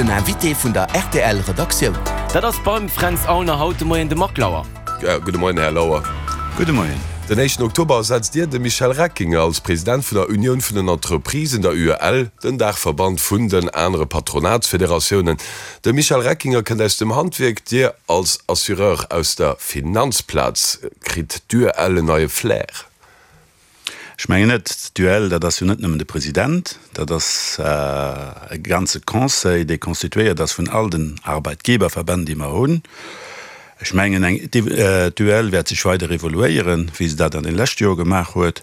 Den Invité vun der rtl Redaktioun. Dat ass beim Fränz Aulner haut de Moien de Marc Lauer. Gudde Moien, Här Lauer. Gudde Moien. Den éischten Oktober ersetzt Dir de Michel Reckinger als President vun der Unioun vun den Entreprisen, der UEL, den Daachverband vun den anere Patronatsfederatiounen. De Michel Reckinger kënnt aus dem Handwierk, Dir als Assureur aus der Finanzplaz. Kritt d'UEL en neie Flair? Ech mengen net. D'UEL, dat ass jo net nëmmen de President, dat ass e ganze Conseil, dee constituéiert ass vun all den Arbeitgeberverbänn, déi mer hunn. Ech mengen, d'UEL wäert sech weider evoluéieren, wéi se dat an de leschte Jore gemaach huet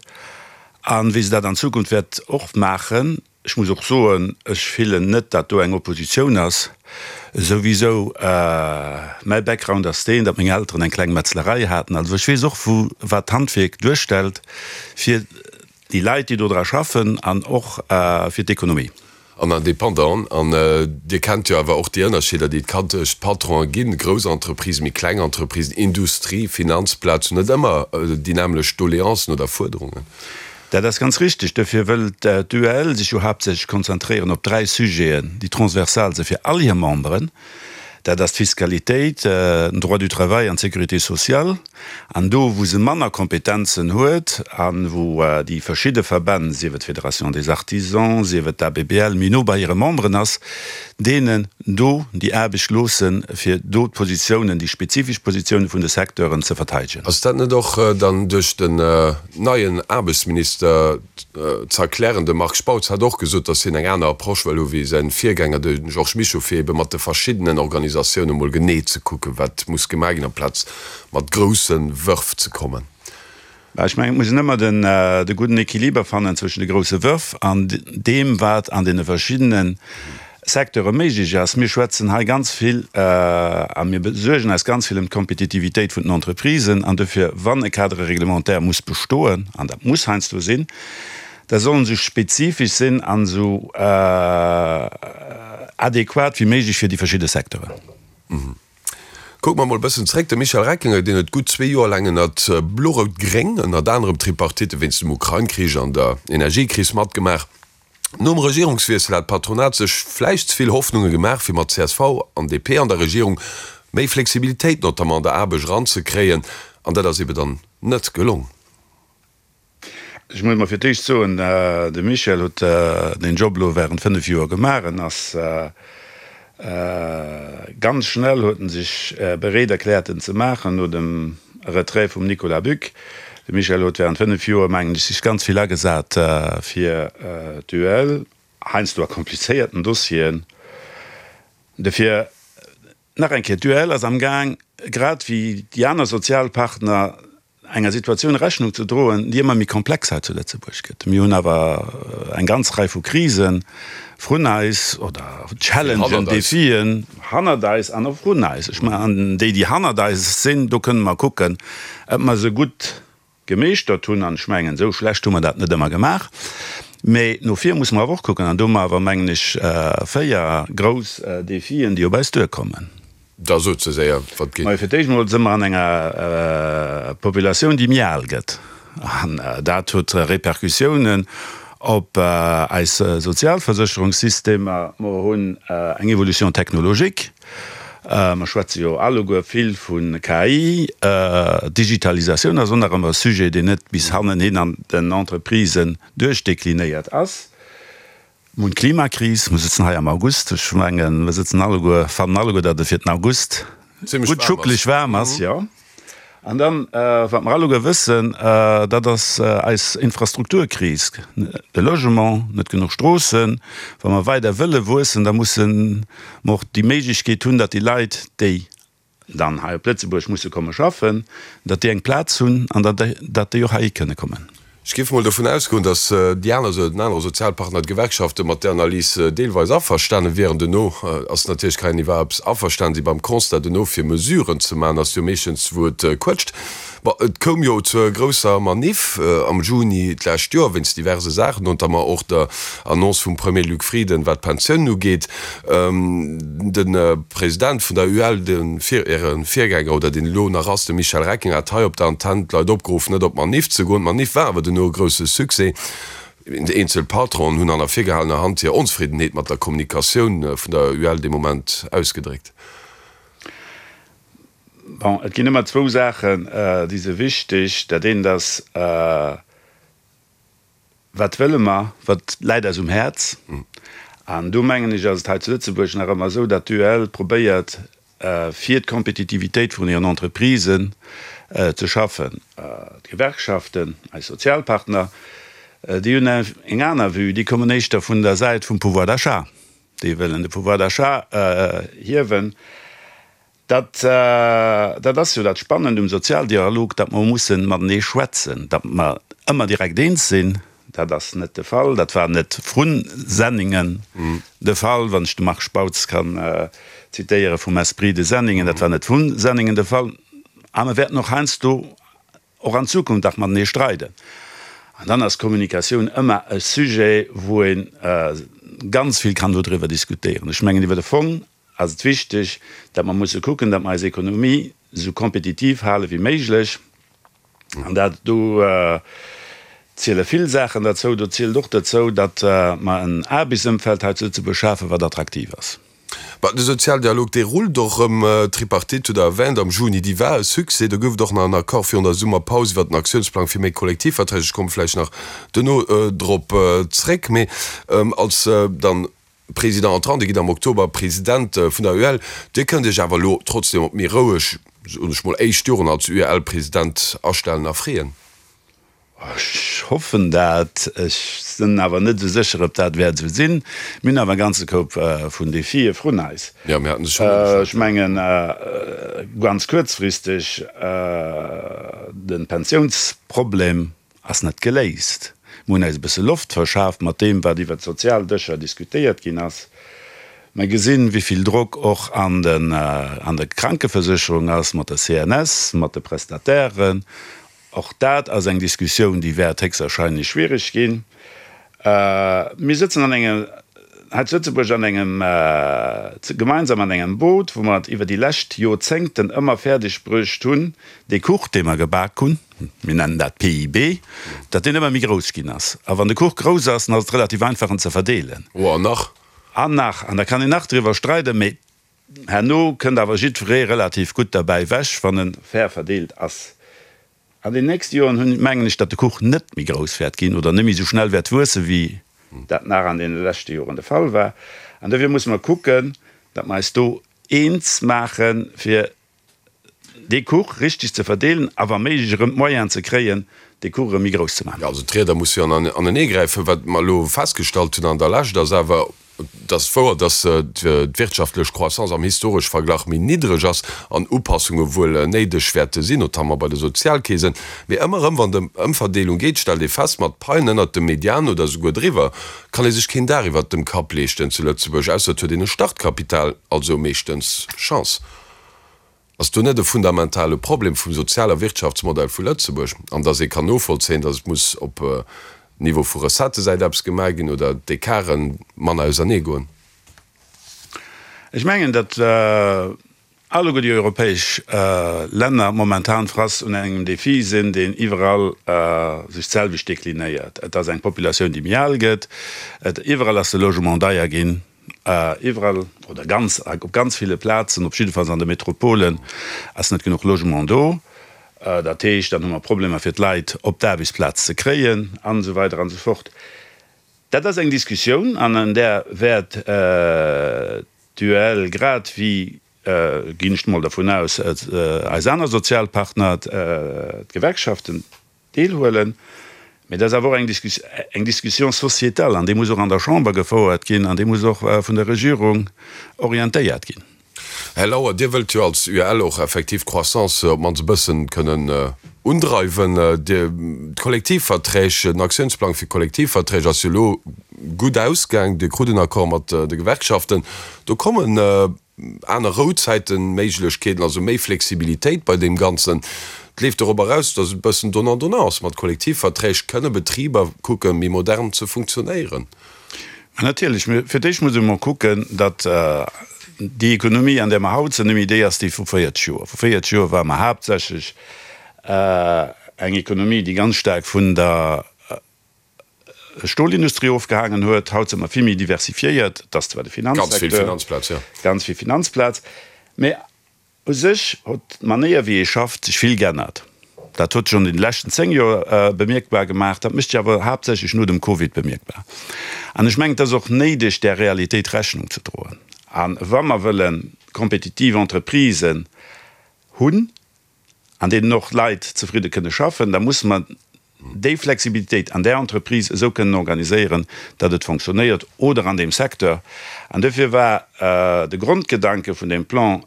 a wéi se dat an Zukunft wäert och maachen. Ech muss och soen, ech fillen net, datt do eng Oppositioun ass. Souwisou, mäi Background ass deen, datt meng Elteren eng kleng Metzlerei haten. Also ech weess och, wou, wat d'Handwierk duerstellt fir déi Leit, déi do dra schaffen an och fir d'Ekonomie. An Indépendant. An Dir kennt jo awer och déi Ënnerscheeder, déi et kann tëscht Patronen ginn, grouss Entreprisen, méi kleng Entreprisen, Industrie, Finanzplaz hunn net ëmmer déi nämmlecht Doleancen oder Fuerderungen. Dat ass ganz richtig. Dofir wëll d'UEL sech jo haaptsächlech konzentréieren op dräi Sujeten, déi transversal si fir all hir Memberen. Dat ass d'Fiskalitéit, den Droit du travail an d'Sécurité sociale. An do, wou se manner Kompetenzen huet a wou déi verschidde Verbänn, sief et d'Fédération des Artisans, sief et d'ABBL, méi no bei hire Memberen ass, deenen do déi Aarbecht loossen, fir do d'Positiounen, déi spezifesch Positiounen vun de Secteuren ze verteidegen. Ass dat net och dann duerch den neien Aarbechtsminister ze erklären? De Marc Spautz hat och gesot, datt hien eng aner Approche wëll hu wéi säin Virgänger, de Georges Mischo, fir ebe mat de verschiddenen Organisatioune mol genee ze kucken, wat muss gemaach ginn, amplaz mat grousse Wërf ze kommen. Ech mengen, et muss een ëmmer de gudden Equiliber fannen zwëschen de grousse Wërf an deem, wat an deene verschiddene Secteure méiglech ass. Mir schwätzen hei ganz vill a mir besuergen eis ganz vill ëm d'Kompetitivitéit vun den Entreprisen. An dofir, wann e Cadre réglementaire muss bestoen, an dat muss heiansdo sinn, da soll en esou spezifesch sinn an esou adequat wéi méiglech fir déi verschidde Secteuren. Kucke mer mol e bëssen zréck, De Michel Reckinger, deen huet gutt zwee Joer laang ënnert Blo-Rout-Gréng, ënnert anerem d'Tripartite wéinst dem Ukrain-Krich an der Energiekris matgemaach. Nom Regierungswiessel hat d'Patronat sech vläicht ze vill Hoffnunge gemaach, fir mat csv an DP an der Regierung méi Flexibilitéit, notamment an der Aarbecht, eranzekréien. An dat ass ebe dann net gelong. Ech muss mol fir d'éischt soen, de Michel huet deen Job elo während 5 Joer gemaach. En ass ganz schnell huet en sech bereet erkläert en ze maachen no dem Retrait vum Nicolas Buck. De Michel huet während 5 Joer, mengen ech, sech ganz vill agesat fir d'UEL, heiansdo a komplizéierten Dossieren. Dofir nach eng Kéier, d'UEL ass amgaang, grad wéi déi aner Sozialpartner, enger Situatioun Rechnung ze droen, déi ëmmer méi komplex hei zu Lëtzebuerg gëtt. Mir hunn awer eng ganz Rei vu Krise vrun eis oder Challengen, Defien hannert eis an och vrun eis. Ech mengen, an déi, déi hannert eis sinn, do kënne mer kucken, ob mer se gutt gemeeschtert hunn. An ech mengen, esou schlecht hu mer dat net ëmmer gemaach. Mä no vir musse mer awer och kucken. An do hu mer awer, mengen ech, véier grouss Defien, déi op eis duerkommen. Da sot se séier, Wat geet? Majo, fir d'éischt emol si mer an enger Populatioun, déi méi al gëtt. An dat huet Repercussiounen op eis Sozialversécherungssystemer. Mer hunn eng Évolution technologique. Mer schwätze jo alleguer vill vu KI. Digitalisatioun ass och nach ëmmer e Sujet, deen net bis hannenhin an den Entreprisen duerchdeklinéiert ass. Mir hunn d'Klimakris, mir sëtzen hei am August, ech mengen, mir sëtzen alleguer, fannen alleguer, datt et fir den August gutt schuckeleg waarm ass, jo. An dann, wat mer alleguer wëssen, dat ass eis Infrastrukturkris, de Logement, net genuch Stroossen. Wa mer weider wëlle wuessen, da musse mer och déi Méiglechkeet hunn, datt déi Leit, déi dann hei op Lëtzebuerg musse komme schaffen, datt déi eng Plaz hunn an datt déi och heihi kënne kommen. Ech géif mol dovun ausgoen, datt déi aner, den anere Sozialpartner, d'Gewerkschaften, mat där Analys deelweis averstane wieren. Duerno ass natierlech kein iwwerhaupt averstanen si beim Constat. Duerno fir Mesuren ze maachen, ass jo meeschtens wou et quëtscht. Bon, et koum jo zur grousser Maniff am Juni d'lescht Joer wéinst diverse Saachen, notamment och der Annonce vum Premier Luc Frieden, wat d'Pensiounen ugeet. De President vun der UEL, de Äre Virgänger oder deen elo nach ass, de Michel Reckinger, hat hei op der Antenn d'Leit opgeruff, net op d'Maniff ze goen. D'Maniff war awer duerno e grousse Succès. Eenzel Patronen hunn an der virgehalener Hand hir Onzefriddenheet mat der Kommunikatioun vun der UEL dee Moment ausgedréckt. Bon, et ginn ëmmer zwou Saachen, déi si wichteg. Dat eent ass, Wat wëlle mer, wat läit eis um Häerz? An do mengen ech, ass et hei zu Lëtzebuerg nach ëmmer esou, datt d'UEL probéiert, fir d'Kompetitivitéit vun hiren Entreprisen ze schaffen. D'Gewerkschaften, eis Sozialpartner, déi hunn eng aner Vue, déi kommen éischter vun der Säit vum Pouvoir d'achat, déi wëllen de Pouvoir d'achat hiewen. Dat, dat ass jo dat Spannend um Sozialdialog, datt mer mussen matenee schwätzen. Datt mer ëmmer direkt eens sinn, dat ass net de Fall. Dat war net vrun Senningen de Fall, wann ech de Marc Spautz kann zitéiere vum Esprit de Senningen, dat war net vun Senningen de Fall. A mer wäerten och heiansdo och an Zukunft nach matenee streiden. An dann ass Kommunikatioun ëmmer e Sujet, wou ee ganz vill kann dodriwwer diskutéieren. Ech mengen, iwwer de Fong ass et wichteg, datt mer musse kucken, datt mer eis Ekonomie esou kompetitiv hale wéi méiglech. An dat, do ziele vill Saachen derzou. Do zielt och derzou, datt mer en Aarbechtsëmfeld hei zu Lëtzebuerg schafen, wat attraktiv ass. Bah, de Sozialdialog, dee rullt och erëm. D'Tripartite hutt Der erwähnt am Juni, déi war e Succès. Do gouf et och nach en Accord virun der Summerpaus iwwert den Aktiounsplang fir méi Kollektivverträg. Ech komme vläicht nach duerno drop zréck. Mee als dann Président entrant, Dir gitt am Oktober President vun der UEL. Dir kënnt Iech awer elo trotzdem op méi roueg, soen ech mol, éischt Joren als UEL-President astellen a freeën? Ech hoffen dat. Ech sinn awer net esou sécher, ob dat wäert esou sinn. Mir hunn awer e ganze Koup vun Defie vrun eis. Jo, mir haten se schonn ugeschwat. Ech mengen, ganz kuerzfristeg, de Pensiounsproblem ass net geléist. Mir hunn eis e bësse Loft verschaaft mat deem, wat iwwert d'Sozialdëscher diskutéiert ginn ass. Mer gesinn, wéi vill Drock och an der Krankeversécherung ass, mat der CNS, mat de Prestatairen. Och dat ass eng Diskussioun, déi wäert héchstwahrscheinlech schwierig ginn. Mir sëtzen an engem, hei zu Lëtzebuerg an engem, gemeinsam an engem Boot, wou mer et iwwer déi lescht Jorzéngten ëmmer fäerdeg bruecht hunn, dee Kuch, dee mer gebak hunn, mir nennen dat PIB, datt deen ëmmer méi grouss ginn ass. A wann de Kuch grouss ass, dann ass et relativ einfach, en ze verdeelen. Oh, an nach? An nach. An da kann een nach driwwer streiden, mee herno kënnt awer jiddweree relativ gutt derbäi ewech, wann e fair verdeelt ass. An den nächste Joren hunn, mengen ech, datt de Kuch net méi grouss wäert ginn oder net méi esou schnell wäert wuessen, wéi dat nach an deene leschte Joren de Fall war. An dofir musse mer kucken, datt mer eis do eens maachen, fir dee Kuch richtig ze verdeelen a wa méiglech erëm d'Moyenen ze kréien, dee Kuch erëm méi grouss ze maachen. Jo, also d'Rieder musse jo aneneegräifen. Wat mer elo festgestallt hunn an der Lescht, ass awer, Et ass wouer, datt d'wirtschaftlech Croissance am historesche Verglach méi niddreg ass an Upassunge wuel néideg wäerte sinn, notamment bei de Sozialkeesen. Mee ëmmer erëm, wann et ëm Ëmverdeelung geet, stellt ee fest, mat Paien ënnert dem Median oder esouguer driwwer, kann ee sech keen Daach iwwert dem Kapp leeschten zu Lëtzebuerg, ausser et huet een e Startkapital, also meeschtens Chance. Ass do net e fundamentale Problem vum Sozial a Wirtschaftsmodell vu Lëtzebuerg? An datt ee kann novollzéien, datt et muss op Niveau vu Recettësäit eppes gemaach ginn oder d'Ecarten manner ausernee goen? Ech mengen, datt alleguer déi europäesch Länner momentan face un engem Défi sinn, deen iwwerall sech d'selwecht deklinéiert. Et ass eng Populatioun, déi méi al gëtt. Et iwwerall ass de Logement deier ginn. Iwwerall oder ganz, op ganz ville Plazen, op jiddefalls an de Metropolen, ass net genuch Logement do. Dat heescht, dann hu mer Problemer fir d'Leit op d'Aarbechtsplaz ze kréien an esou weider an esou fort. Dat ass eng Diskussioun an un där wäert d'UEL grad wéi, ginn ech mol dervun aus, eis aner Sozialpartner, d'Gewerkschaften, Deelhuelen. Mee dat ass awer och eng Discussion sociétale an déi muss och an der Chamber gefouert ginn an déi muss och vun der Regierung orientéiert ginn. Här Lauer, Dir wëllt jo als UEL och effektiv d'Croissance op d'mannst e bëssen kënnen undreiwen. Dir, d'Kollektivverträg, den Aktiounsplang fir Kollektivverträg ass jo elo gutt ausgaang. Dir krut en Accord mat de Gewerkschaften. Do kommen Aner Rouzäiten, Méiglechkeeten, also méi Flexibilitéit bei deem Ganzen. Et leeft dorop eraus, datt et e bëssen donnant-donnant ass. Mat Kollektivverträg kënne Betriber kucken, méi modern ze funktionéieren. Mä natierlech, fir d'éischt muss ee mol kucken, datt déi Ekonomie, an där mer haut sinn, net méi déi ass, déi vu 40 Joer. Vu 40 Joer ware mer haaptsächlech eng Ekonomie, déi ganz staark vun der. Stolindustrie ofgehaangen huet. Haut si mer vill méi diversifiéiert. Et ass zwar de Finanzsecteur, ganz vill Finanzplaz, mä u sech huet d'Manéier wéi ee schafft sech vill geännert. Dat huet sech an den leschten 10 Joer bemierkbar gemaach, dat mécht sech awer haaptsächlech no dem Covid bemierkbar. An ech mengen, et ass och néideg där Realitéit Rechnung ze droen. A wa mer wëlle kompetitiv Entreprisen hunn, an deenen och Leit zefridde kënne schaffen, da musse mer déi Flexibilitéit an där Entreprise esou kënnen organiséieren, datt et fonctionnéiert, oder an deem Secteur. An dofir war de Grondgedanke vun deem Plan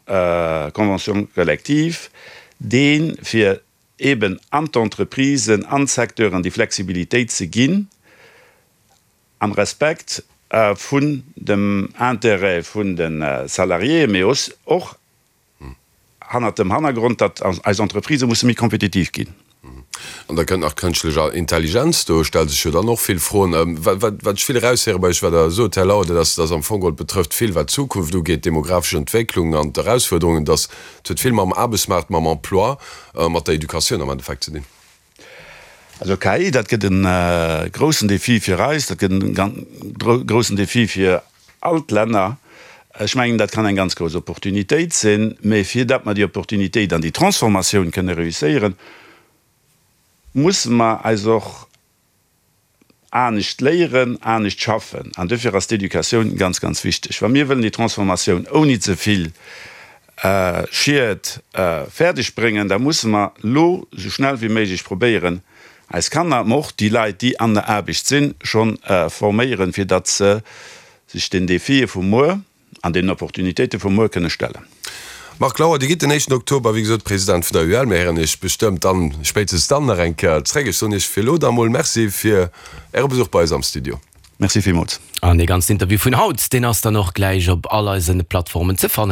Convention collective deen, fir eben an d'Entreprisen, an d'Secteuren déi Flexibilitéit ze ginn, am Respekt vun dem Intérêt vun de Salariéen, mee och hannert dem Hannergrond, datt eis Entreprisë musse méi kompetitiv ginn. An da kënnt nach d'kënschtlech Intelligenz, do stelle sech jo dann och vill Froen. Wat ech vill eraushéiere bei Iech, wat Der sot, Här Lauer, dat ass, datt am Fong geholl betrëfft vill, wat d'Zukunft ugeet, d'demografesch Entwécklung an d'Erausfuerderungen, datt et huet vill mam Aarbechtsmaart, mam Emploi, mat der Educatioun am Endeffekt ze dinn. Also KI, dat gëtt e groussen Defi fir eis, dat gëtt e groussen Defi fir all d'Länner. Ech mengen, dat kann eng ganz grouss Opportunitéit sinn, mä fir datt mer déi Opportunitéit an déi Transformatioun kënne reusséieren, musse mer eis och anescht léieren, anescht schaffen. An dofir ass d'Educatioun ganz, ganz wichteg. Wa mir wëllen déi Transformatioun ouni ze vill Schied fäerdeg bréngen, da musse mer elo esou schnell wéi méiglech probéieren, eis Kanner, mä och déi Leit, déi an der Aarbecht sinn, schonn forméieren, fir datt se sech den Defie vu muer an deenen Opportunitéite vu muer kënne stellen. Marc Lauer, Dir gitt den éischten Oktober, wéi gesot, President vun der UEL. Mir héieren Iech bestëmmt dann, spéitstens dann nach eng Kéier zréck. Ech soen Iech fir elo da mol Merci fir Äre Besuch bei eis am Studio. Merci villmools. An dee ganzen Interview vun haut, deen ass dann och gläich op all eise Plattformen ze fannen.